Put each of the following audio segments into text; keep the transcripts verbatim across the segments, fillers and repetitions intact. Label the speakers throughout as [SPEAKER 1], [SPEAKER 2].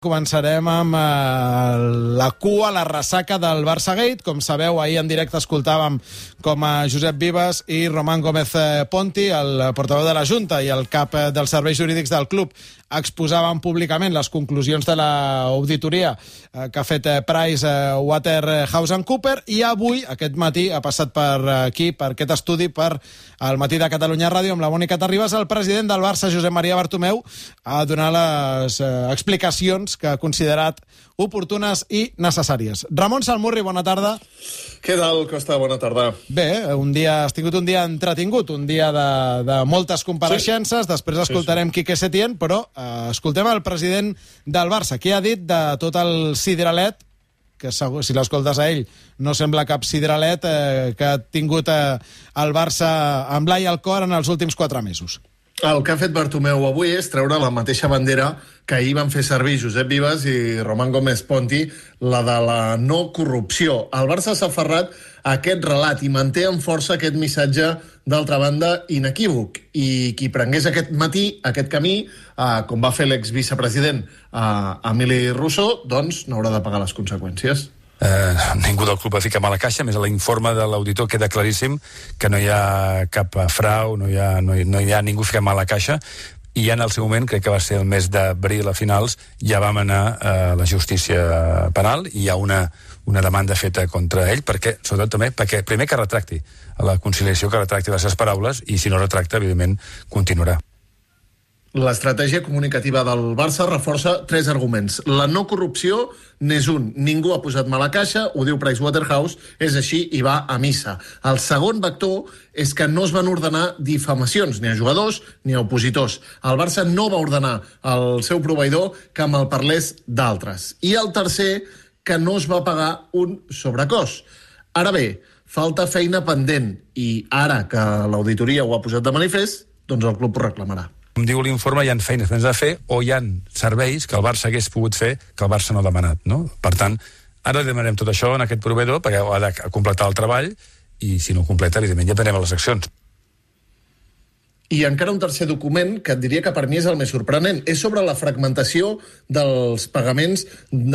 [SPEAKER 1] Començarem amb eh, la cua, la ressaca del Barça Gate. Com sabeu, ahir en directe escoltàvem com a Josep Vives i Román Gómez Ponti, el portaveu de la Junta i el cap dels serveis jurídics del club, exposaven públicament les conclusions de l'auditoria eh, que ha fet Price Waterhouse and Cooper, i avui, aquest matí, ha passat per aquí, per aquest estudi, per el Matí de Catalunya Ràdio, amb la Mònica Terribas, el president del Barça, Josep Maria Bartomeu, a donar les eh, explicacions que ha considerat oportunes i necessàries. Ramon Salmurri, bona tarda.
[SPEAKER 2] Què tal, Costa? Bona tarda.
[SPEAKER 1] Bé, un dia, has tingut un dia entretingut, un dia de, de moltes compareixences, sí. Després escoltarem sí, sí. Quique Setién, però eh, escoltem el president del Barça, que ha dit de tot el sideralet, que segur, si l'escoltes a ell, no sembla cap sideralet eh, que ha tingut eh, el Barça amb l'ai al cor en els últims quatre mesos.
[SPEAKER 2] El que ha fet Bartomeu avui és treure la mateixa bandera que ahir van fer servir Josep Vives i Román Gómez Ponti, la de la no corrupció. El Barça s'ha aferrat a aquest relat i manté amb força aquest missatge, d'altra banda, inequívoc. I qui prengués aquest matí, aquest camí, eh, com va fer l'exvicepresident eh, Emili Rousseau, doncs n'haurà de pagar les conseqüències.
[SPEAKER 3] Eh, ningú del club va ficar mà a la caixa, més a l'informe de l'auditor queda claríssim que no hi ha cap frau, no hi ha, no hi, no hi ha ningú ficat mà a la caixa, i ja en el seu moment, crec que va ser el mes d'abril a finals, ja vam anar a la justícia penal i hi ha una, una demanda feta contra ell, perquè, sobretot també, perquè primer que retracti a la conciliació, que retracti les seves paraules, i si no retracta, evidentment, continuarà.
[SPEAKER 2] L'estratègia comunicativa del Barça reforça tres arguments. La no corrupció n'és un. Ningú ha posat mà a la caixa, ho diu Price Waterhouse, és així i va a missa. El segon vector és que no es van ordenar difamacions, ni a jugadors ni a opositors. El Barça no va ordenar al seu proveïdor que me'l parlés d'altres. I el tercer, que no es va pagar un sobrecost. Ara bé, falta feina pendent, i ara que l'auditoria ho ha posat de manifest, doncs el club ho reclamarà.
[SPEAKER 3] Com diu l'informe, hi ha feines que ens ha de fer o hi ha serveis que el Barça hagués pogut fer que el Barça no ha demanat, no? Per tant, ara demanem tot això en aquest proveïdor perquè ha de completar el treball i si no ho completa, evidentment, ja prenem a les accions.
[SPEAKER 2] I encara un tercer document que et diria que per mi és el més sorprenent. És sobre la fragmentació dels pagaments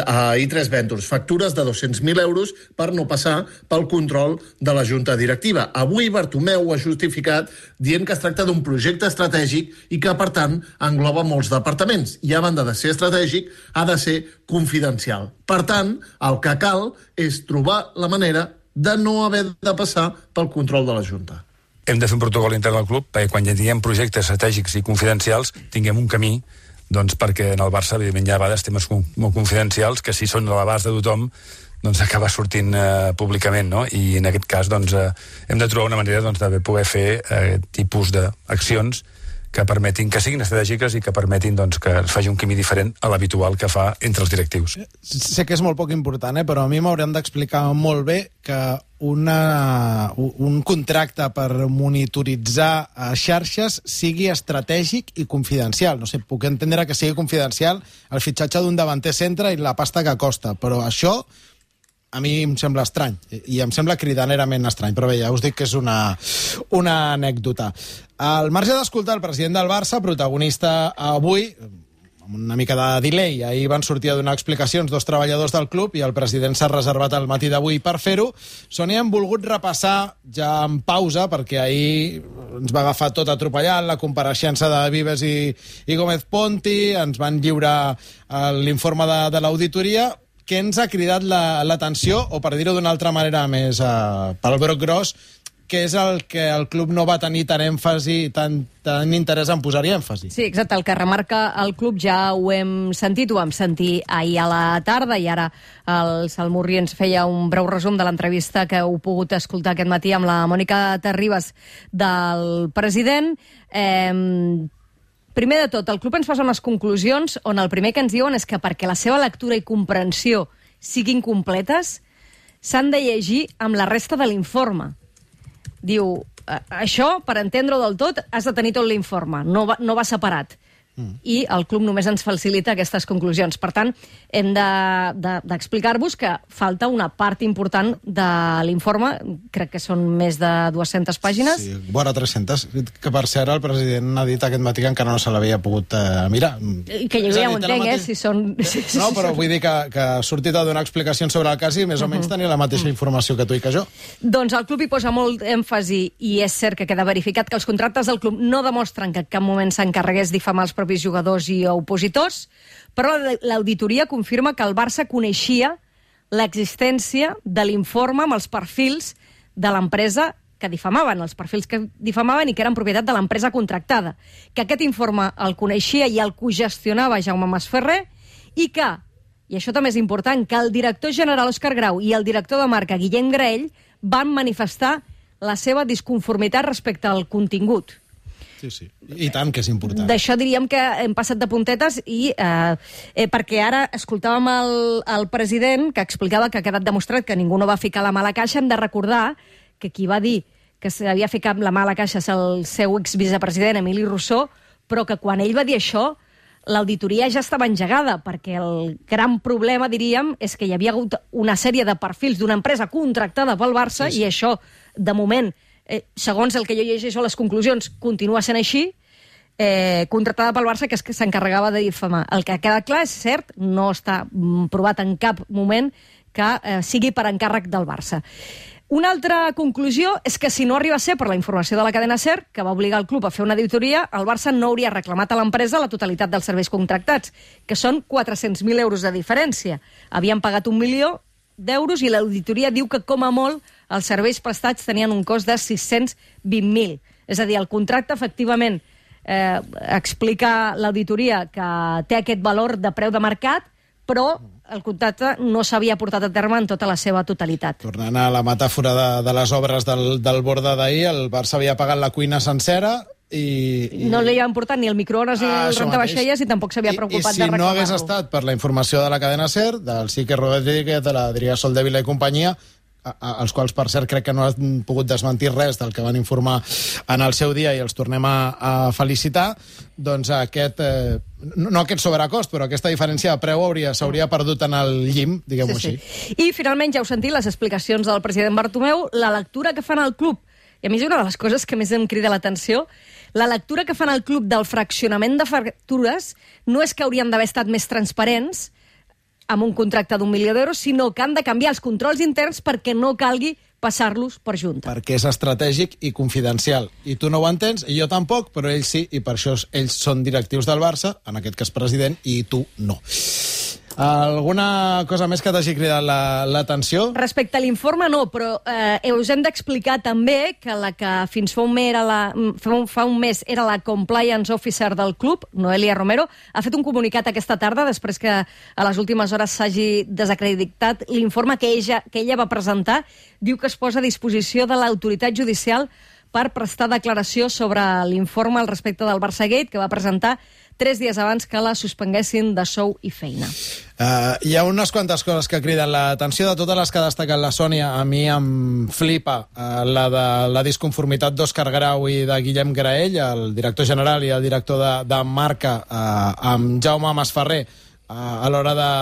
[SPEAKER 2] a i tres Ventures. Factures de dos-cents mil euros per no passar pel control de la Junta Directiva. Avui Bartomeu ho ha justificat dient que es tracta d'un projecte estratègic i que, per tant, engloba molts departaments. I a banda de ser estratègic, ha de ser confidencial. Per tant, el que cal és trobar la manera de no haver de passar pel control de la Junta.
[SPEAKER 3] Hem de fer un protocol intern del club perquè quan ja tinguem projectes estratègics i confidencials tinguem un camí, doncs perquè en el Barça evidentment hi ha a vegades temes molt confidencials que si són a l'abast de tothom doncs acaba sortint eh, públicament, no? I en aquest cas doncs eh, hem de trobar una manera doncs, de poder fer eh, tipus d'accions que permetin que siguin estratègiques i que permetin doncs, que es faci un camí diferent a l'habitual que fa entre els directius.
[SPEAKER 1] Sé que és molt poc important, eh? Però a mi m'haurien d'explicar molt bé que una, un contracte per monitoritzar xarxes sigui estratègic i confidencial. No sé, puc entendre que sigui confidencial el fitxatge d'un davanter centre i la pasta que costa, però això a mi em sembla estrany, i em sembla cridanerament estrany, però bé, ja us dic que és una, una anècdota. Al marge d'escoltar el president del Barça, protagonista avui, amb una mica de delay, ahir van sortir a donar explicacions dos treballadors del club i el president s'ha reservat el matí d'avui per fer-ho. Sònia, hem volgut repassar ja en pausa, perquè ahir ens va agafar tot atropellant, la compareixença de Vives i, i Gómez Ponti, ens van lliurar l'informe de, de l'auditoria. Què ens ha cridat l'atenció, la, o per dir-ho d'una altra manera més uh, pel broc gros, que és el que el club no va tenir tant èmfasi, tant, tant interès en posar-hi èmfasi?
[SPEAKER 4] Sí, exacte, el que remarca el club ja ho hem sentit, ho vam sentir ahir a la tarda i ara el Salmurri ens feia un breu resum de l'entrevista que heu pogut escoltar aquest matí amb la Mònica Terribas del president. Eh, Primer de tot, el club ens posa unes conclusions on el primer que ens diuen és que perquè la seva lectura i comprensió siguin completes, s'han de llegir amb la resta de l'informe. Diu, això, per entendre-ho del tot, has de tenir tot l'informe, no va, no va separat. mm. i el club només ens facilita aquestes conclusions. Per tant, hem d'explicar-vos de, de, que falta una part important de l'informe, crec que són més de dues-centes pàgines.
[SPEAKER 1] Sí, vora tres-centes, que per cert el president ha dit aquest matí que encara no se l'havia pogut eh, mirar.
[SPEAKER 4] I que jo ja ho entenc, mateix... eh, si són...
[SPEAKER 1] No, però vull dir que, que ha sortit a donar explicacions sobre el cas i més o menys tenia la mateixa informació que tu i que jo.
[SPEAKER 4] Doncs el club hi posa molt èmfasi, i és cert que queda verificat que els contractes del club no demostren que en cap moment s'encarregués difamar els propis jugadors i opositors, però l'auditoria confirma que el Barça coneixia l'existència de l'informe amb els perfils de l'empresa que difamaven, els perfils que difamaven i que eren propietat de l'empresa contractada, que aquest informe el coneixia i el cogestionava Jaume Masferrer i que, i això també és important, que el director general Òscar Grau i el director de marca Guillem Graell van manifestar la seva disconformitat respecte al contingut.
[SPEAKER 1] Sí, sí. I tant que és important.
[SPEAKER 4] D'això diríem que hem passat de puntetes i eh, eh, perquè ara escoltàvem el, el president que explicava que ha quedat demostrat que ningú no va ficar la mà a la caixa. Hem de recordar que qui va dir que s'havia ficat la mà a la caixa és el seu exvicepresident Emili Rousseau, però que quan ell va dir això l'auditoria ja estava engegada, perquè el gran problema, diríem, és que hi havia hagut una sèrie de perfils d'una empresa contractada pel Barça, sí, sí. i això, de moment, eh, segons el que jo llegeixo a les conclusions, continua sent així, eh, contractada pel Barça, que és que s'encarregava de difamar. El que ha quedat clar és cert, no està provat en cap moment que eh, sigui per encàrrec del Barça. Una altra conclusió és que si no arriba a ser per la informació de la cadena SER, que va obligar el club a fer una auditoria, el Barça no hauria reclamat a l'empresa la totalitat dels serveis contractats, que són quatre-cents mil euros de diferència. Havien pagat un milió d'euros i l'auditoria diu que, com a molt, els serveis prestats tenien un cost de sis-cents vint mil. És a dir, el contracte, efectivament, eh, explica l'auditoria que té aquest valor de preu de mercat, però el contracte no s'havia portat a terme en tota la seva totalitat.
[SPEAKER 1] Tornant a la metàfora de, de les obres del, del Borda d'ahir, el Barça havia pagat la cuina sencera i... i...
[SPEAKER 4] No li havien portat ni el microones ni ah, el rentavaixelles i tampoc s'havia preocupat
[SPEAKER 1] I, i si
[SPEAKER 4] de reclamar-lo.
[SPEAKER 1] no hagués estat per la informació de la cadena SER, del Sique Rodríguez, de l'Adrià Soldevila i companyia, als quals, per cert, crec que no han pogut desmentir res del que van informar en el seu dia i els tornem a, a felicitar, doncs aquest, eh, no aquest sobrecost, però aquesta diferència de preu hauria, s'hauria perdut en el llim, diguem-ho sí, sí.
[SPEAKER 4] així. I, finalment, ja heu sentit les explicacions del president Bartomeu, la lectura que fan al club, i a mi és una de les coses que més em crida l'atenció, la lectura que fan al club del fraccionament de factures no és que haurien d'haver estat més transparents, amb un contracte d'un milió d'euros, sinó que han de canviar els controls interns perquè no calgui passar-los per junta.
[SPEAKER 1] Perquè és estratègic i confidencial. I tu no ho entens, i jo tampoc, però ells sí, i per això ells són directius del Barça, en aquest cas president, i tu no. Alguna cosa més que t'hagi cridat l'atenció? La,
[SPEAKER 4] Respecte a l'informe, no, però eh, us hem d'explicar també que la que fins fa un, mes era la, fa, un, fa un mes era la Compliance Officer del club, Noelia Romero, ha fet un comunicat aquesta tarda, després que a les últimes hores s'hagi desacreditat l'informe que ella, que ella va presentar. Diu que es posa a disposició de l'autoritat judicial per prestar declaració sobre l'informe al respecte del Barçagate, que va presentar tres dies abans que la suspenguessin de sou i feina.
[SPEAKER 1] Uh, hi ha unes quantes coses que criden l'atenció. De totes les que ha destacat la Sònia, a mi em flipa uh, la de la disconformitat d'Òscar Grau i de Guillem Graell, el director general i el director de, de marca, uh, amb Jaume Masferrer, uh, a l'hora de...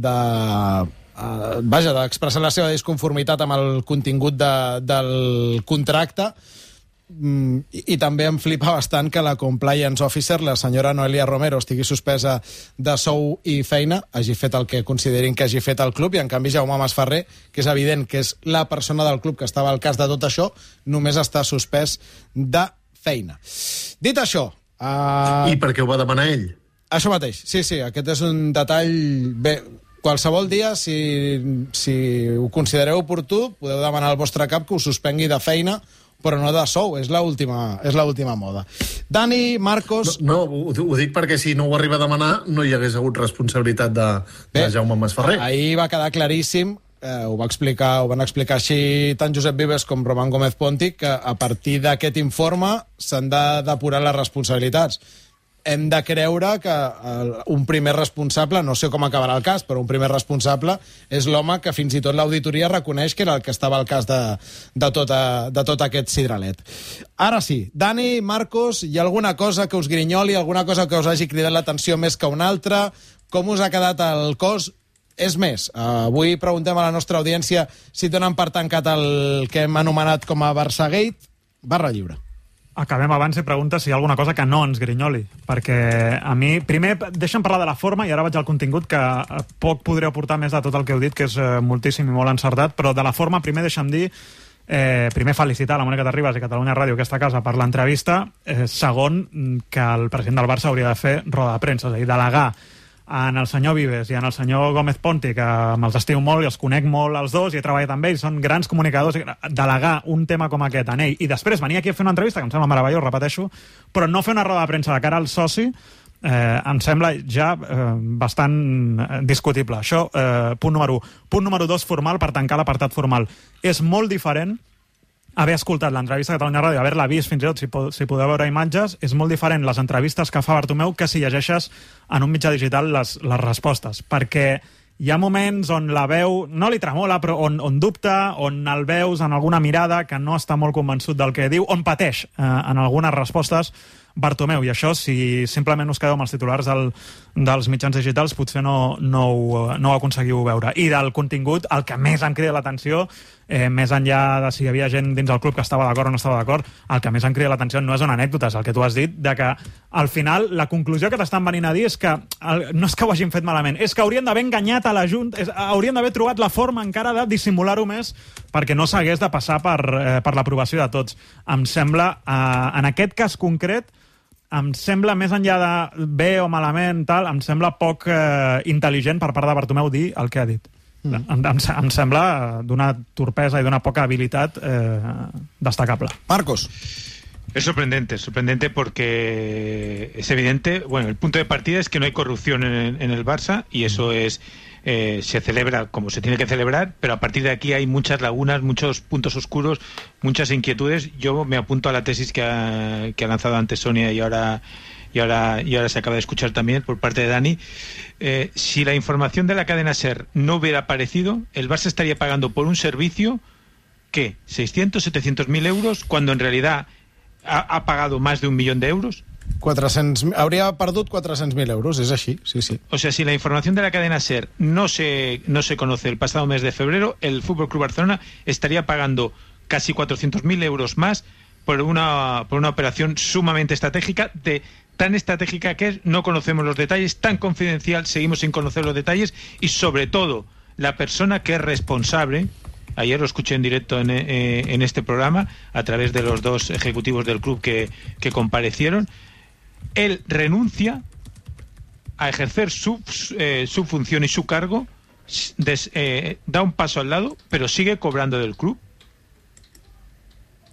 [SPEAKER 1] de uh, vaja, d'expressar la seva disconformitat amb el contingut de, del contracte. Mm, i, i també em flipa bastant que la Compliance Officer, la senyora Noelia Romero, estigui suspesa de sou i feina, hagi fet el que considerin que hagi fet el club, i en canvi Jaume Masferrer, que és evident que és la persona del club que estava al cas de tot això, només està suspès de feina. Dit això... Uh...
[SPEAKER 2] I per què ho va demanar ell?
[SPEAKER 1] Això mateix, sí, sí, aquest és un detall... Bé, qualsevol dia, si, si ho considereu oportú, podeu demanar al vostre cap que us suspengui de feina, però no de sou, és l'última és l'última moda. Dani, Marcos...
[SPEAKER 2] No, no ho, ho dic perquè si no ho arriba a demanar no hi hagués hagut responsabilitat de, Bé, de Jaume Masferrer.
[SPEAKER 1] Ahir va quedar claríssim, eh, ho, va explicar, ho van explicar així tant Josep Vives com Roman Gómez Ponti, que a partir d'aquest informe s'han de depurar les responsabilitats. hem de creure que el, un primer responsable, no sé com acabarà el cas, però un primer responsable és l'home que fins i tot l'auditoria reconeix que era el que estava al cas de, de, tota, de tot aquest cidralet. Ara sí, Dani, Marcos, hi ha alguna cosa que us grinyoli, alguna cosa que us hagi cridat l'atenció més que una altra? Com us ha quedat el cos? És més, avui preguntem a la nostra audiència si donen per tancat el que hem anomenat com a Barçagate. Barra lliure.
[SPEAKER 5] Acabem abans i pregunta si hi ha alguna cosa que no ens grinyoli, perquè a mi, primer, deixa'm parlar de la forma i ara vaig al contingut, que poc podré aportar més de tot el que heu dit, que és moltíssim i molt encertat, però de la forma, primer deixa'm dir, eh, primer felicitar la Mònica Terribas i Catalunya Ràdio, aquesta casa, per l'entrevista, eh, segon, que el president del Barça hauria de fer roda de premsa, és a dir, delegar en el senyor Vives i en el senyor Gómez Ponti, que me'ls estimo molt i els conec molt els dos i he treballat amb ells, són grans comunicadors, delegar un tema com aquest en ell i després venir aquí a fer una entrevista, que em sembla meravellós, repeteixo, però no fer una roda de premsa de cara al soci, eh, em sembla ja eh, bastant discutible. Això, eh, punt número un. Punt número dos, formal, per tancar l'apartat formal. És molt diferent haver escoltat l'entrevista a Catalunya Ràdio, haver-la vist fins i tot, si, po si podeu veure imatges, és molt diferent les entrevistes que fa Bartomeu que si llegeixes en un mitjà digital les, les respostes, perquè hi ha moments on la veu no li tremola, però on, on dubta, on el veus en alguna mirada que no està molt convençut del que diu, on pateix eh, en algunes respostes Bartomeu, i això, si simplement us quedeu amb els titulars del, dels mitjans digitals, potser no, no, ho, no ho aconseguiu veure. I del contingut, el que més em crida l'atenció, eh, més enllà de si hi havia gent dins el club que estava d'acord o no estava d'acord, el que més em crida l'atenció no és una anècdota, és el que tu has dit, de que al final la conclusió que t'estan venint a dir és que el, no és que ho hagin fet malament, és que haurien d'haver enganyat a la Junta, és, haurien d'haver trobat la forma encara de dissimular-ho més perquè no s'hagués de passar per, eh, per l'aprovació de tots. Em sembla, eh, en aquest cas concret, em sembla, més enllà de bé o malament, tal, em sembla poc eh, intel·ligent per part de Bartomeu dir el que ha dit. Mm. Em, em, em sembla d'una torpesa i d'una poca habilitat eh, destacable.
[SPEAKER 1] Marcos.
[SPEAKER 6] Es sorprendente, sorprendente porque es evidente, bueno, el punto de partida es que no hay corrupción en, en el Barça y eso es eh, se celebra como se tiene que celebrar, pero a partir de aquí hay muchas lagunas, muchos puntos oscuros, muchas inquietudes. Yo me apunto a la tesis que ha, que ha lanzado antes Sonia y ahora y ahora y ahora se acaba de escuchar también por parte de Dani. Eh, si la información de la cadena SER no hubiera aparecido, el Barça estaría pagando por un servicio ¿qué? seiscientos, setecientos mil euros, cuando en realidad ha, ha pagado más de un millón de euros.
[SPEAKER 1] quatre-cents, hauria perdut quatre-cents mil euros, és així, sí, sí.
[SPEAKER 6] O sea, si la información de la cadena SER no se, no se conoce el pasado mes de febrero, el F C Barcelona estaría pagando casi cuatrocientos mil euros más por una, por una operación sumamente estratégica, de tan estratégica que es, no conocemos los detalles, tan confidencial, seguimos sin conocer los detalles, y sobre todo, la persona que es responsable, ayer lo escuché en directo en, eh, en este programa, a través de los dos ejecutivos del club que, que comparecieron, él renuncia a ejercer su, eh, su función y su cargo, des, eh, da un paso al lado, però sigue cobrando del club.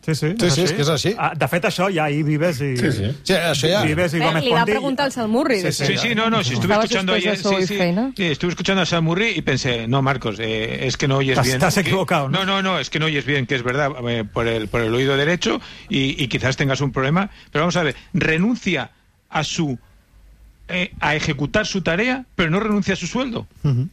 [SPEAKER 5] Sí, sí,
[SPEAKER 1] sí, sí, és que és així.
[SPEAKER 5] De fet, això ja ahí Vives i...
[SPEAKER 1] Sí, sí. Sí, això ja...
[SPEAKER 5] Vives i Gómez
[SPEAKER 4] eh, li va
[SPEAKER 5] Ponti...
[SPEAKER 4] preguntar al Salmurri.
[SPEAKER 6] Sí, sí, sí, no, no, si estuve escuchando ayer... Sí, sí, sí, estuve escuchando a Salmurri y pensé, no, Marcos, eh, es que no oyes bien.
[SPEAKER 5] Estás equivocado, ¿no?
[SPEAKER 6] No, no, no, es que no oyes bien, que es verdad, eh, por, el, por el oído derecho y, y quizás tengas un problema, pero vamos a ver, renuncia a su... Eh, a ejecutar su tarea, pero no renuncia a su sueldo.
[SPEAKER 1] Uh-huh.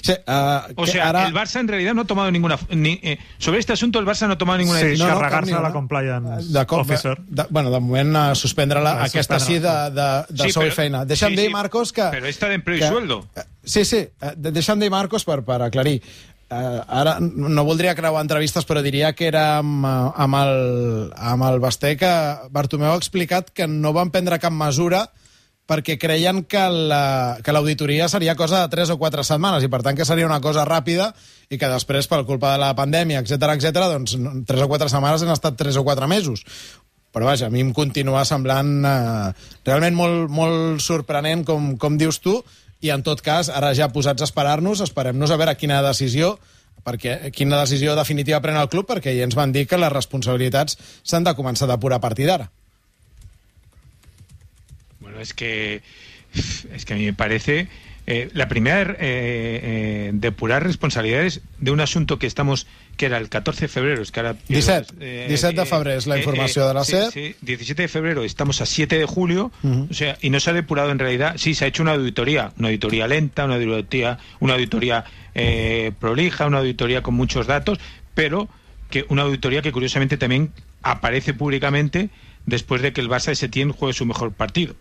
[SPEAKER 1] Sí, uh,
[SPEAKER 6] o sea, ara... el Barça en realidad no ha tomado ninguna... Ni, eh, sobre este asunto el Barça no ha tomado ninguna
[SPEAKER 5] sí,
[SPEAKER 6] decisión.
[SPEAKER 5] Sí, carregar-se a la compliance officer.
[SPEAKER 1] De, bueno, de moment uh, suspendre-la,
[SPEAKER 5] de
[SPEAKER 1] aquesta sí de, de, de sí, sou i feina. Deixa'm
[SPEAKER 6] sí,
[SPEAKER 1] dir,
[SPEAKER 6] sí,
[SPEAKER 1] Marcos, que...
[SPEAKER 6] Però està d'empleo i sueldo.
[SPEAKER 1] Sí, sí, deixa'm dir, Marcos, per, per aclarir. Uh, ara no voldria creuar entrevistes, però diria que era amb, amb, el, amb el Basté que Bartomeu ha explicat que no van prendre cap mesura perquè creien que l'auditoria la, seria cosa de tres o quatre setmanes i, per tant, que seria una cosa ràpida i que després, per culpa de la pandèmia, etcètera, etcètera, doncs tres o quatre setmanes han estat tres o quatre mesos. Però, vaja, a mi em continua semblant eh, realment molt, molt sorprenent, com, com dius tu, i, en tot cas, ara ja posats a esperar-nos, esperem-nos a veure quina decisió perquè quina decisió definitiva pren el club, perquè ja ens van dir que les responsabilitats s'han de començar a depurar a partir d'ara.
[SPEAKER 6] Bueno, es que es que a mí me parece Eh, la primera, eh, eh, depurar responsabilidades de un asunto que estamos, que era el catorce de febrero. Es que ahora,
[SPEAKER 1] disset,
[SPEAKER 6] eh,
[SPEAKER 1] disset de febrer és la informació eh, eh, de la
[SPEAKER 6] sí,
[SPEAKER 1] SER.
[SPEAKER 6] Sí, diecisiete de febrero, estamos a siete de julio,
[SPEAKER 1] Uh-huh.
[SPEAKER 6] o sea, y no se ha depurado en realidad. Sí, se ha hecho una auditoría, una auditoría lenta, una auditoría, una auditoría eh, prolija, una auditoría con muchos datos, pero que una auditoría que curiosamente también aparece públicamente después de que el Barça de Setién juegue su mejor partido.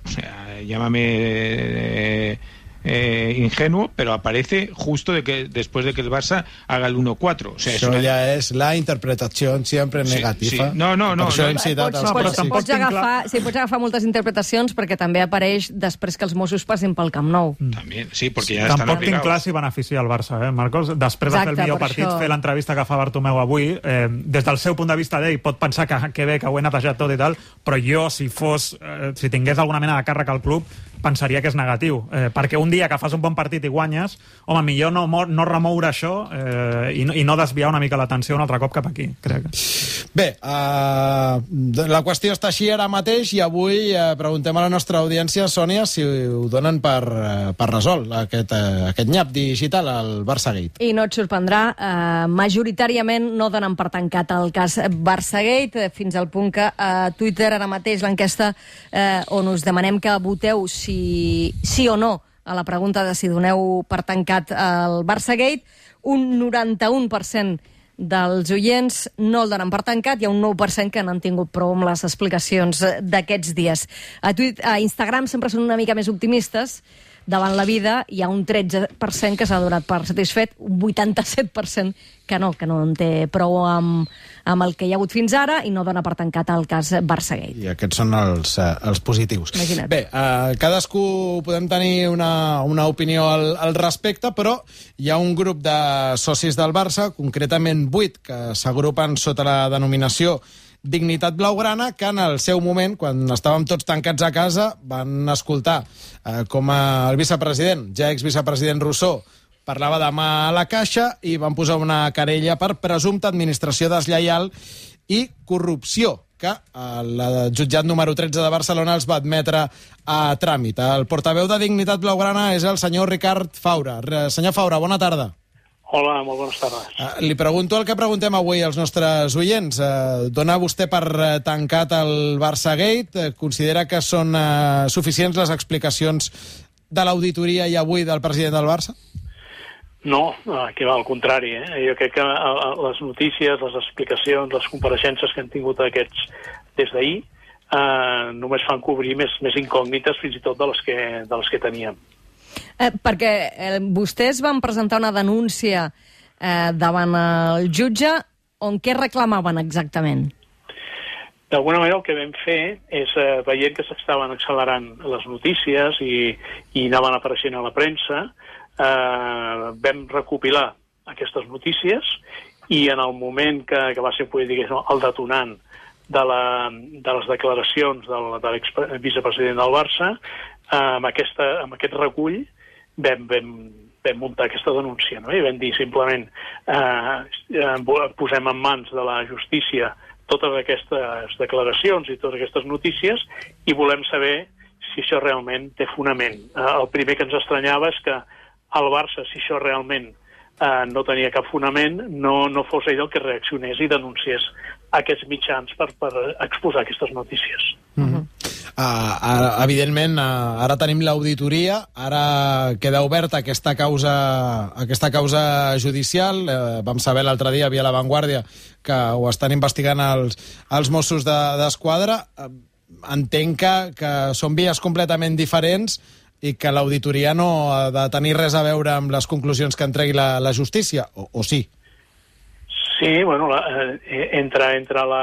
[SPEAKER 6] O sea, llámame eh, eh, ingenuo, pero aparece justo de que después de que el Barça haga el uno cuatro. O sea,
[SPEAKER 1] això
[SPEAKER 6] és una...
[SPEAKER 1] ja és la interpretació sempre
[SPEAKER 6] Sí,
[SPEAKER 1] negativa.
[SPEAKER 6] sí. No, no, no,
[SPEAKER 1] Per això
[SPEAKER 6] no.
[SPEAKER 1] hem citat
[SPEAKER 4] Pots,
[SPEAKER 1] els
[SPEAKER 4] pots,
[SPEAKER 1] clàssics.
[SPEAKER 4] pots, agafar, sí, pots agafar moltes interpretacions perquè també apareix després que els Mossos passin pel Camp Nou.
[SPEAKER 6] También, sí, porque ya están
[SPEAKER 5] Tampoc tinc
[SPEAKER 6] obligados.
[SPEAKER 5] clar si beneficia el Barça, eh, Marcos? Després de fer
[SPEAKER 4] Exacte,
[SPEAKER 5] el millor
[SPEAKER 4] per
[SPEAKER 5] partit,
[SPEAKER 4] això.
[SPEAKER 5] fer l'entrevista que fa Bartomeu avui, eh, des del seu punt de vista d'ell pot pensar que, que bé, que ho he netejat tot i tal, però jo, si fos, eh, si tingués alguna mena de càrrec al club, pensaria que és negatiu. Eh, perquè un dia que fas un bon partit i guanyes, home, millor no, no remoure això eh, i, no, i no desviar una mica l'atenció un altre cop cap aquí, crec.
[SPEAKER 1] Bé, uh, la qüestió està així ara mateix i avui uh, preguntem a la nostra audiència, Sònia, si ho donen per, uh, per resolt, aquest, uh, aquest nyap digital, el Barçagate.
[SPEAKER 4] I no et sorprendrà, eh, majoritàriament no donen per tancat el cas Barçagate, fins al punt que a Twitter ara mateix l'enquesta eh, on us demanem que voteu si, sí o no a la pregunta de si doneu per tancat el Barçagate, un noranta-un per cent dels oients no el donen per tancat, hi ha un nou per cent que no han tingut prou amb les explicacions d'aquests dies. A, Twitter, a Instagram sempre són una mica més optimistes davant la vida, hi ha un tretze per cent que s'ha donat per satisfet, un vuitanta-set per cent que no, que no en té prou amb, amb el que hi ha hagut fins ara i no dona per tancat el cas Barçagate.
[SPEAKER 1] I aquests són els, uh, els positius.
[SPEAKER 4] Imagina't.
[SPEAKER 1] Bé, uh, cadascú podem tenir una, una opinió al, al respecte, però hi ha un grup de socis del Barça, concretament vuit, que s'agrupen sota la denominació Dignitat Blaugrana, que en el seu moment, quan estàvem tots tancats a casa, van escoltar eh, com el vicepresident, ja exvicepresident Rousseau, parlava de mà a la caixa i van posar una querella per presumpta administració deslleial i corrupció, que el jutjat número tretze de Barcelona els va admetre a tràmit. El portaveu de Dignitat Blaugrana és el senyor Ricard Faura. Senyor Faura, bona tarda.
[SPEAKER 7] Hola, molt bones tardes.
[SPEAKER 1] Uh, li pregunto el que preguntem avui als nostres oients. Uh, dona vostè per uh, tancat el Barçagate? Uh, considera que són uh, suficients les explicacions de l'auditoria i avui del president del Barça?
[SPEAKER 7] No, que va al contrari. Eh? Jo crec que uh, les notícies, les explicacions, les compareixences que han tingut aquests des d'ahir uh, només fan cobrir més, més incògnites fins i tot de les que, de les que teníem.
[SPEAKER 4] Eh, perquè eh, vostès van presentar una denúncia eh, davant el jutge on què reclamaven exactament?
[SPEAKER 7] D'alguna manera el que vam fer és, eh, veient que s'estaven accelerant les notícies i, i anaven apareixent a la premsa, eh, vam recopilar aquestes notícies i en el moment que, que va ser diguéssim, el detonant de, la, de les declaracions del, de l'exvicepresident del Barça, eh, amb, aquesta, amb aquest recull vam, vam, vam muntar aquesta denúncia, no? I vam dir simplement eh, posem en mans de la justícia totes aquestes declaracions i totes aquestes notícies i volem saber si això realment té fonament. Eh, el primer que ens estranyava és que el Barça, si això realment eh, no tenia cap fonament, no, no fos ell el que reaccionés i denunciés aquests mitjans per, per exposar aquestes notícies.
[SPEAKER 1] Mm-hmm. Uh, uh, evidentment, uh, ara tenim l'auditoria, ara queda oberta aquesta causa, aquesta causa judicial. Uh, vam saber l'altre dia via La Vanguardia que ho estan investigant els, els Mossos d'Esquadra. De, uh, entenc que, que són vies completament diferents i que l'auditoria no ha de tenir res a veure amb les conclusions que entregui la, la justícia, o, o sí?
[SPEAKER 7] Sí, bueno, la, eh, entre, entre la,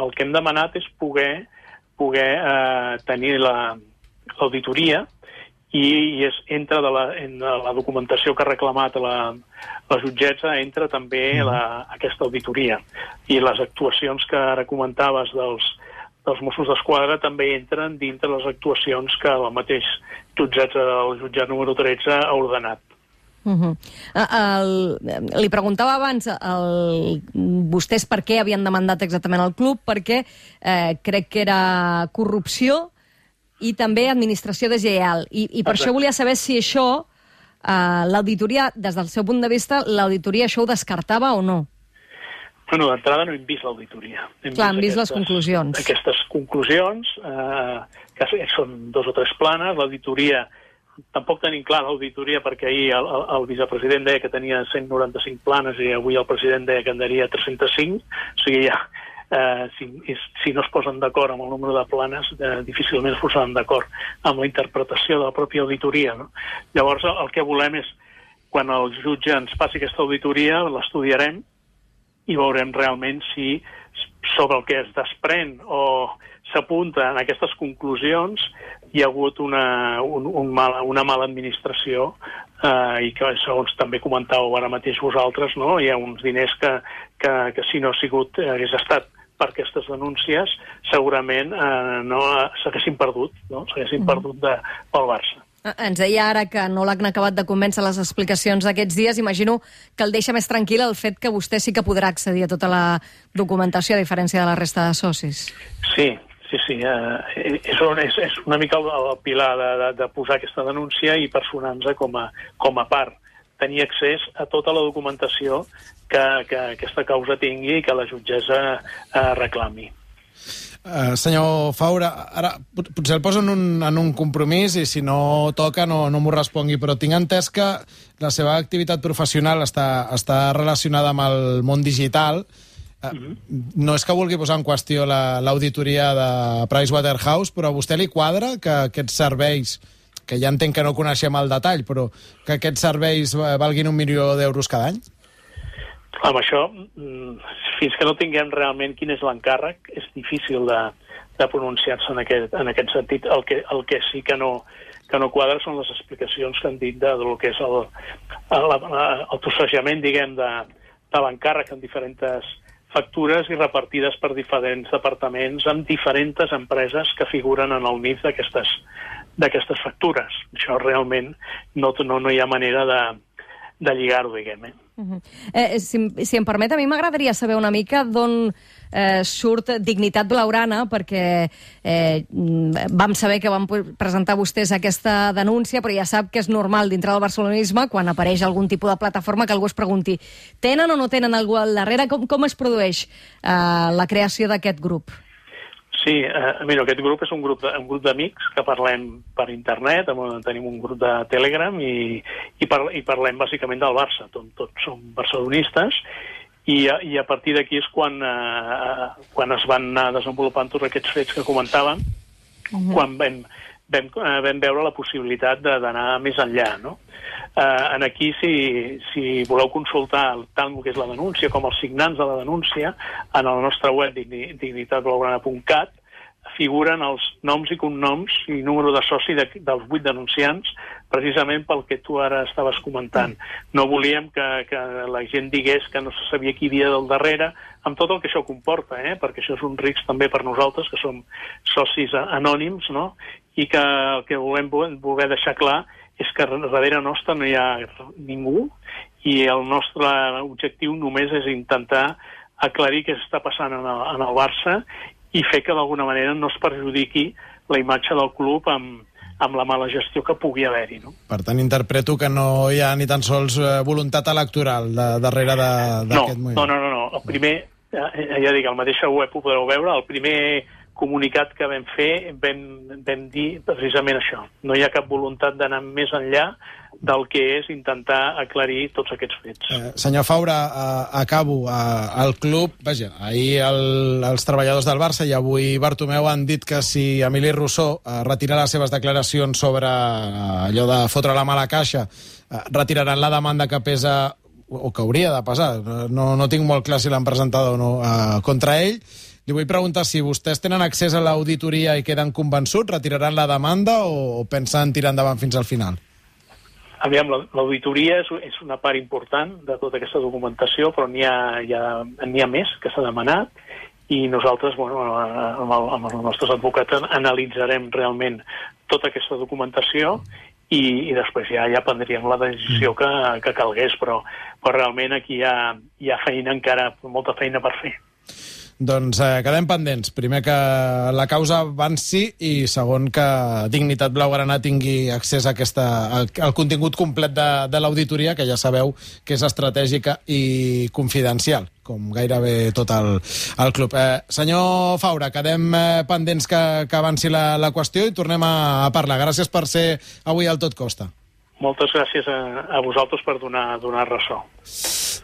[SPEAKER 7] el que hem demanat és poder poder eh, tenir l'auditoria la, i, i és, entra de la, en la documentació que ha reclamat la, la jutgessa, entra també la, aquesta auditoria. I les actuacions que ara comentaves dels, dels Mossos d'Esquadra també entren dintre les actuacions que el mateix jutjat del jutjat número tretze ha ordenat.
[SPEAKER 4] Uh-huh. el, li preguntava abans el, vostès per què havien demandat exactament el club, perquè eh, crec que era corrupció i també administració deslleial. I, i per Exacte. Això volia saber si això, eh, l'auditoria, des del seu punt de vista, l'auditoria això ho descartava o no?
[SPEAKER 7] Bueno, d'entrada no hem vist l'auditoria.
[SPEAKER 4] Hem Clar, vist hem vist aquestes, les conclusions.
[SPEAKER 7] Aquestes conclusions, eh, que són dos o tres planes, l'auditoria, tampoc tenim clar l'auditoria perquè ahir el, el, el vicepresident deia que tenia cent noranta-cinc planes i avui el president deia que en daria tres-cents cinc, o sigui ja, eh, si, si no es posen d'acord amb el número de planes, eh, difícilment es posaran d'acord amb la interpretació de la pròpia auditoria, no? Llavors el, el que volem és, quan el jutge ens passi aquesta auditoria, l'estudiarem i veurem realment si sobre el que es desprèn o s'apunta en aquestes conclusions hi ha hagut una, un, un mala, una mala administració eh, i que, segons també comentàveu ara mateix vosaltres, no? Hi ha uns diners que, que, que si no ha sigut, hagués estat per aquestes denúncies, segurament eh, no s'haguessin perdut, no? S'haguessin perdut de, pel Barça.
[SPEAKER 4] Ens deia ara que no l'han acabat de convèncer les explicacions d'aquests dies. Imagino que el deixa més tranquil el fet que vostè sí que podrà accedir a tota la documentació, a diferència de la resta de socis.
[SPEAKER 7] Sí, sí, sí. Eh, és, és, és una mica el, el pilar de, de, de posar aquesta denúncia i personar-nos com a, com a part. Tenir accés a tota la documentació que, que aquesta causa tingui i que la jutgessa eh, reclami.
[SPEAKER 1] Uh, senyor Faura, ara potser el poso en un, en un compromís i si no toca no, no m'ho respongui, però tinc entès que la seva activitat professional està, està relacionada amb el món digital. Uh, mm-hmm. No és que vulgui posar en qüestió l'auditoria la, de Pricewaterhouse, però a vostè li quadra que aquests serveis, que ja entenc que no coneixem el detall, però que aquests serveis valguin un milió d'euros cada any?
[SPEAKER 7] Amb això, fins que no tinguem realment quin és l'encàrrec, és difícil de, de pronunciar-se en aquest, en aquest sentit. El que, el que sí que no, que no quadra són les explicacions que han dit de, del que és el, el, el trossejament, diguem, de, de l'encàrrec en diferents factures i repartides per diferents departaments amb diferents empreses que figuren en el N I F d'aquestes d'aquestes factures. Això realment no, no, no hi ha manera de, de lligar-ho, diguem, eh?
[SPEAKER 4] Uh-huh. eh, si, si em permet, a mi m'agradaria saber una mica d'on eh, surt Dignitat Blaugrana, perquè eh, vam saber que van presentar vostès aquesta denúncia, però ja sap que és normal dintre del barcelonisme, quan apareix algun tipus de plataforma, que algú es pregunti tenen o no tenen algú al darrere? Com, com es produeix eh, la creació d'aquest grup?
[SPEAKER 7] Sí, eh, mira, aquest grup és un grup de, un grup d'amics que parlem per internet, tenim un grup de Telegram i, i, par, i parlem bàsicament del Barça, Tot, tots som barcelonistes i, i a partir d'aquí és quan, eh, quan es van anar desenvolupant tots aquests fets que comentàvem, uh-huh. quan vam, vam, eh, vam veure la possibilitat d'anar més enllà, no? Eh, en aquí, si, si voleu consultar tant el que és la denúncia com els signants de la denúncia, en el nostre web dignitat blaugrana punt cat figuren els noms i cognoms i número de soci de, dels vuit denunciants, precisament pel que tu ara estaves comentant. No volíem que, que la gent digués que no se sabia qui hi havia del darrere, amb tot el que això comporta, eh? Perquè això és un risc també per nosaltres, que som socis anònims, no? I que el que volem voler deixar clar és que darrere nostre no hi ha ningú i el nostre objectiu només és intentar aclarir què està passant en el, en el Barça i fer que d'alguna manera no es perjudiqui la imatge del club amb, amb la mala gestió que pugui haver-hi, no?
[SPEAKER 1] Per tant, interpreto que no hi ha ni tan sols voluntat electoral de, darrere d'aquest
[SPEAKER 7] no,
[SPEAKER 1] moviment.
[SPEAKER 7] No, no, no, no. El primer, ja dic, al mateix web ho podreu veure, el primer comunicat que vam fer vam, vam dir precisament això. No hi ha cap voluntat d'anar més enllà del que és intentar aclarir tots aquests fets.
[SPEAKER 1] Eh, senyor Faura, eh, acabo. Eh, el club, vaja, ahir el, els treballadors del Barça i avui Bartomeu han dit que si Emili Rousseau eh, retira les seves declaracions sobre eh, allò de fotre la mala caixa, eh, retiraran la demanda que pesa, o que hauria de pesar, no, no tinc molt clar si l'han presentat o no, eh, contra ell. Li vull preguntar si vostès tenen accés a l'auditoria i queden convençuts, retiraran la demanda o, o pensen tirar endavant fins al final?
[SPEAKER 7] Aviam, l'auditoria és, és una part important de tota aquesta documentació, però n'hi ha, hi ha, n'hi ha més que s'ha demanat i nosaltres, bueno, amb, el, amb els nostres advocats analitzarem realment tota aquesta documentació i, i després ja, ja prendríem la decisió que, que calgués, però, però realment aquí hi ha, hi ha feina encara, molta feina per fer.
[SPEAKER 1] Doncs eh, quedem pendents. Primer que la causa avanci i segon que Dignitat Blaugrana tingui accés a aquesta, al, al contingut complet de, de l'auditoria, que ja sabeu que és estratègica i confidencial, com gairebé tot el, el club. Eh, senyor Faura, quedem eh, pendents que, que avanci la, la qüestió i tornem a, a parlar. Gràcies per ser avui al Tot Costa.
[SPEAKER 7] Moltes gràcies a, a vosaltres per donar, donar ressò.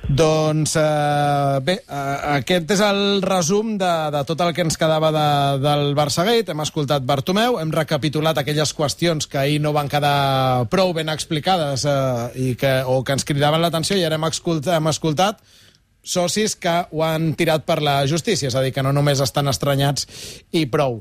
[SPEAKER 1] Doncs eh, bé, eh, aquest és el resum de, de tot el que ens quedava de, del Barçagate. Hem escoltat Bartomeu, hem recapitulat aquelles qüestions que ahir no van quedar prou ben explicades eh, i que, o que ens cridaven l'atenció, i ara hem escoltat, hem escoltat socis que ho han tirat per la justícia, és a dir, que no només estan estranyats i prou.